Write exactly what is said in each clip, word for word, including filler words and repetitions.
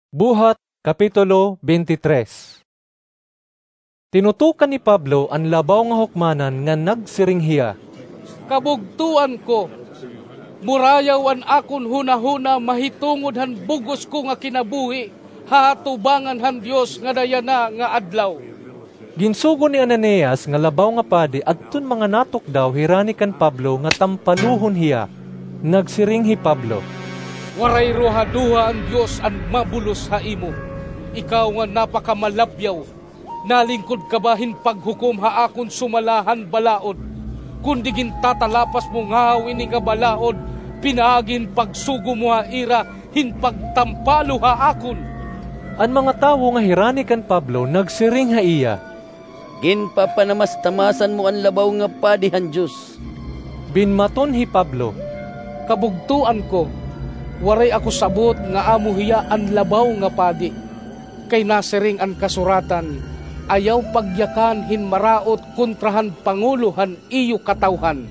Buhat, Kapitulo twenty-three. Tinutukan ni Pablo an labaw nga hukmanan ngan nagsiring hiya, "Kabugtoan ko, murayaw an akon hunahuna mahitungod han bug-os ko nga kinabuhi ha atubangan han Dios ngada yana nga adlaw." Ginsugo ni Ananias nga labaw nga padi adton mga natukdaw hirani kan Pablo nga tampaluhon hiya. Nagsiring hi Pablo, "Waray ruhaduha an Dios an mabulos ha imo. Ikaw nga napakamalabyaw, nalingkod ka ba hin paghukom ha akon sumala han balaod? Kundi gintatalapas mo ngahaw ini nga balaod pinaagi hin pagsugo mo ha ira hin pagtampalo ha akon." An mga tawo nga hirani kan Pablo nagsiring ha iya, "Ginpapanamastamasan mo an labaw nga padi han Dios." Binmaton hi Pablo, "Kabugtoan ko, waray ako sabot nga amo hiya an labaw nga padi. Kay nasiring an kasuratan, 'Ayaw pagyakan hin maraot kontra han pangulo han iyo katawhan.'"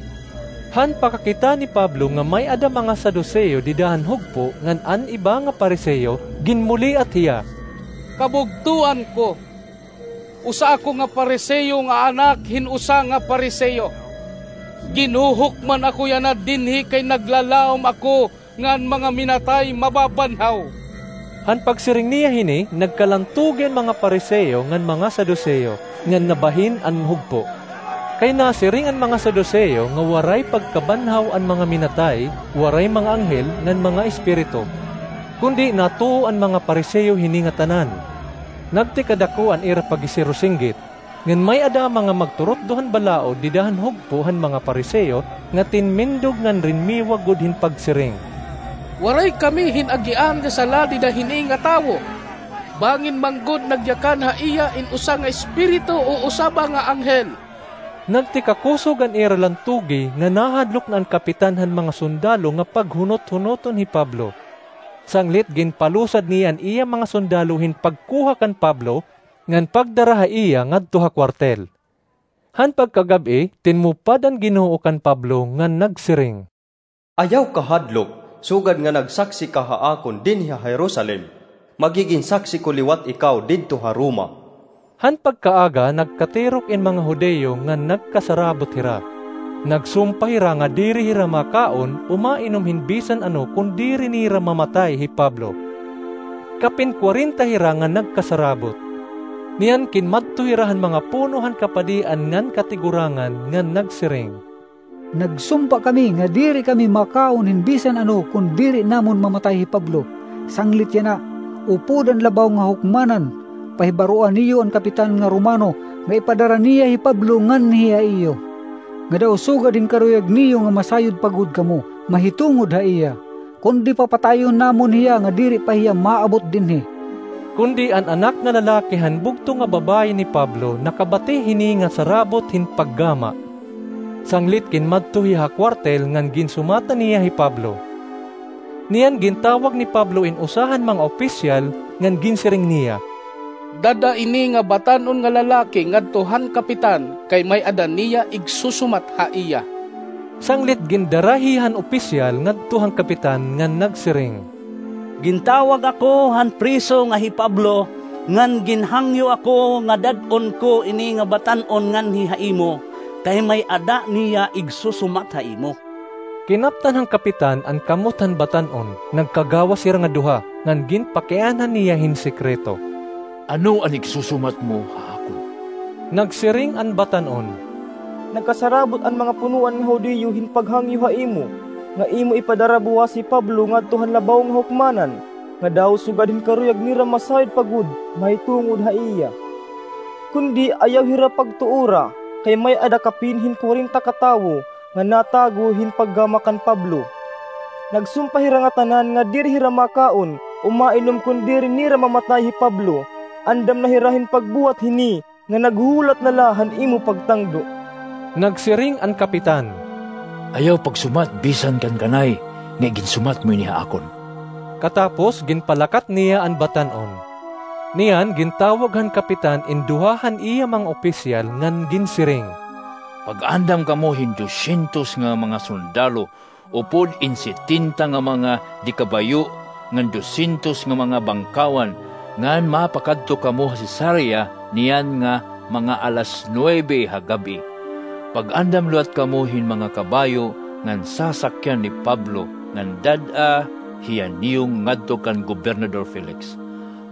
Han pakakita ni Pablo nga may-ada mga Saduseo dida han hugpo ngan an iba nga Pariseo, ginmuliat hiya, "Kabugtoan ko, usa ako nga Pariseo nga anak hin usa nga Pariseo. Ginhuhukman ako yana dinhi kay naglalaom ako nga an mga minatay mababanhaw." Han pagsiring niya hini, nagkalantugi an mga Pariseo ngan mga Saduseo, ngan nabahin an hugpo. Kay nasiring an mga Saduseo nga waray pagkabanhaw an mga minatay, waray mga anghel, ngan mga espiritu. Kundi natuo an mga Pariseo hini ngatanan. Nagtikadako an ira pagisirusinggit. Ngan may-ada mga magturutdo han balaod dida han hugpo han mga Pariseo nga tinmindog ngan rinmiwag gud hin pagsiring, "Waray kami hin agian nga sala dida hini nga tawo. Bangin man gud nagyakan ha iya in usa nga espiritu o usa ba nga anghel." Nagtikakusog an ira lantugi nga nahadlok na an kapitan han mga sundalo nga paghunot-hunoton hi Pablo. Sanglit ginpalusad niya an iya mga sundalo hin pagkuha kan Pablo, ngan pagdara ha iya ngadto ha kuwartel. Han pagkagab-i, tinmupad an Ginoo kan Pablo ngan nagsiring, "Ayaw ka hadlok, sugad nga nagsaksi ka ha akon dinhi ha Jerusalem, magigin saksi ko liwat ikaw didto ha Roma." Han pagkaaga, nagkatirok in mga Judio ngan nagkasarabot hira. Nagsumpa hira nga diri hira makaon o mainom hin bisan ano kon diri nira mamatay hi Pablo. Kapin kwarenta hira nga nagkasarabot. Niyan kinmadto hira han mga puno han kapadian ngan katigurangan ngan nagsiring, "Nagsumpa kami nga diri kami makaon hin bisan ano kon diri namon mamatay hi Pablo. Sanglit yana, upod an labaw nga hukmanan, pahibaroa niyo an kapitan nga Romano nga ipadara niya hi Pablo nganhi ha iyo, nga daw sugad hin karuyag niyo nga masayod pa gud kamo mahitungod ha iya. Kundi papatayon namon hiya nga diri pa hiya maabot dinhi." Kundi an anak nga lalaki han bugto nga babaye ni Pablo nakabati hini nga sarabot hin paggama. Sanglit kinmadto hiya ha kuwartel ngan ginsumatan niya hi Pablo. Niyan gintawag ni Pablo in usa han mga opisyal ngan ginsiring niya, "Dad-a ini nga batan-on nga lalaki ngadto han kapitan kay may-ada niya igsusumat ha iya." Sanglit gindara hiya han opisyal ngadto han kapitan ngan nagsiring, "Gintawag ako han priso nga hi Pablo, ngan ginhangyo ako nga dad-on ko ini nga batan-on nganhi ha imo, kay may-ada niya igsusumat ha imo." Kinaptan han kapitan an kamot han batan-on, nagkagawas hira nga duha, ngan ginpakianhan niya hin sekreto, "Ano an igsusumat mo ha akon?" Nagsiring an batan-on, "Nagkasarabot an mga punoan nga Judio hin paghangyo ha imo, nga imo ipadara buwas hi Pablo ngadto han labaw nga hukmanan, nga daw sugad hin karuyag nira masayod pa gud mahitungod ha iya. Kundi ayaw hira pagtuora, kay may-ada kapin hin kwarenta ka tawo nga natago hin paggama kan Pablo. Nagsumpa hira ngatanan nga diri hira makaon o mainom kon diri nira mamatay hi Pablo. Andam na hira hin pagbuhat hini nga naghuhulat na la han imo pagtangdo." Nagsiring an kapitan, "Ayaw pagsumat bisan kan kanay nga iginsumat mo ini ha akon." Katapos, ginpalakat niya an batan-on. Niyan, gintawag han kapitan in duha han iya mga opisyal ngan ginsiring, "Pag-andam kamo hin dosyentos nga mga sundalo upod in setenta nga mga de kabayo ngan dosyentos nga mga bangkawan, ngan mapakadto kamo ha Cesarea niyan nga mga alas nuebe ha gab-i. Pag-andam liwat kamo hin mga kabayo ngan sasakyan ni Pablo, ngan dad-a hiya niyo ngadto kan Gobernador Felix.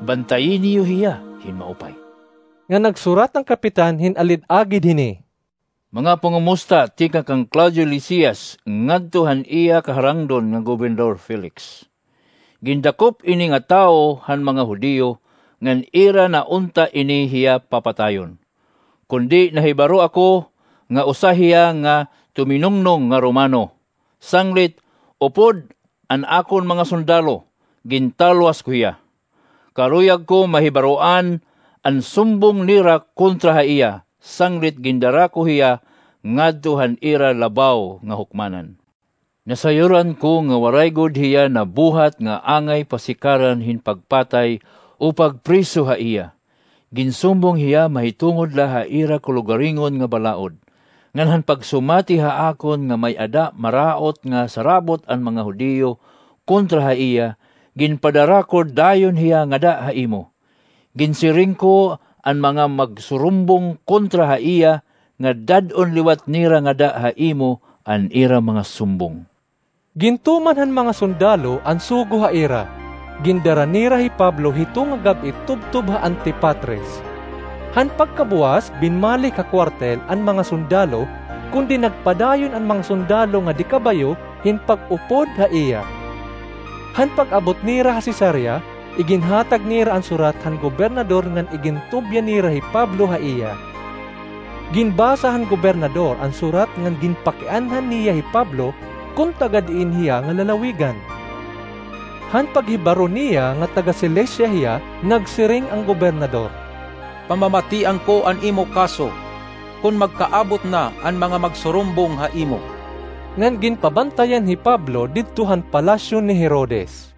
Bantayi niyo hiya hin maupay." Nga nagsurat an kapitan hin alid-agid hini: "Mga pangomusta tikang kan Claudio Lisias ngadto han iya kaharangdon nga Gobernador Felix. Gindakop ini nga tawo han mga Judio, ngan ira na unta ini hiya papatayon. Kundi nahibaro ako nga usa hiya nga tuminungnong nga Romano. Sanglit upod an akon mga sundalo, gintalwas ko hiya. Karuyag ko mahibaroan an sumbong nira kontra ha iya, sanglit gindara ko hiya ngadto han ira labaw nga hukmanan. Nasayuran ko nga waray gud hiya nabuhat nga angay pasikaran hin pagpatay o pagpriso ha iya. Ginsumbong hiya mahitungod la ha ira kalugaringon nga balaod. Ngan han pagsumati ha akon nga may-ada maraot nga sarabot an mga Judio kontra ha iya, ginpadara ko dayon hiya ngada ha imo. Ginsiring ko an mga magsurumbong kontra ha iya nga dad-on liwat nira ngada ha imo an ira mga sumbong." Gintuman han mga sundalo an sugo ha ira. Gindara nira hi Pablo hito nga gab-i tubtob ha Antipatres. Han pagkabuwas, binmalik ha kuwartel an mga sundalo, kundi nagpadayon an mga sundalo nga dikabayo hin pag-upod ha iya. Han pag-abot nira ha Cesarea, iginhatag nira an surat han gobernador ngan igintubya nira hi Pablo ha iya. Ginbasa han gobernador an surat ngan ginpakianhan niya hi Pablo kon taga diin hiya nga lalawigan. Han paghibaro niya nga taga Cilicia hiya, nagsiring an gobernador: "Pamamatian ko an imo kaso kon magkaabot na an mga magsurumbong ha imo." Ngan ginpabantayan hi Pablo didto han palasyo ni Herodes.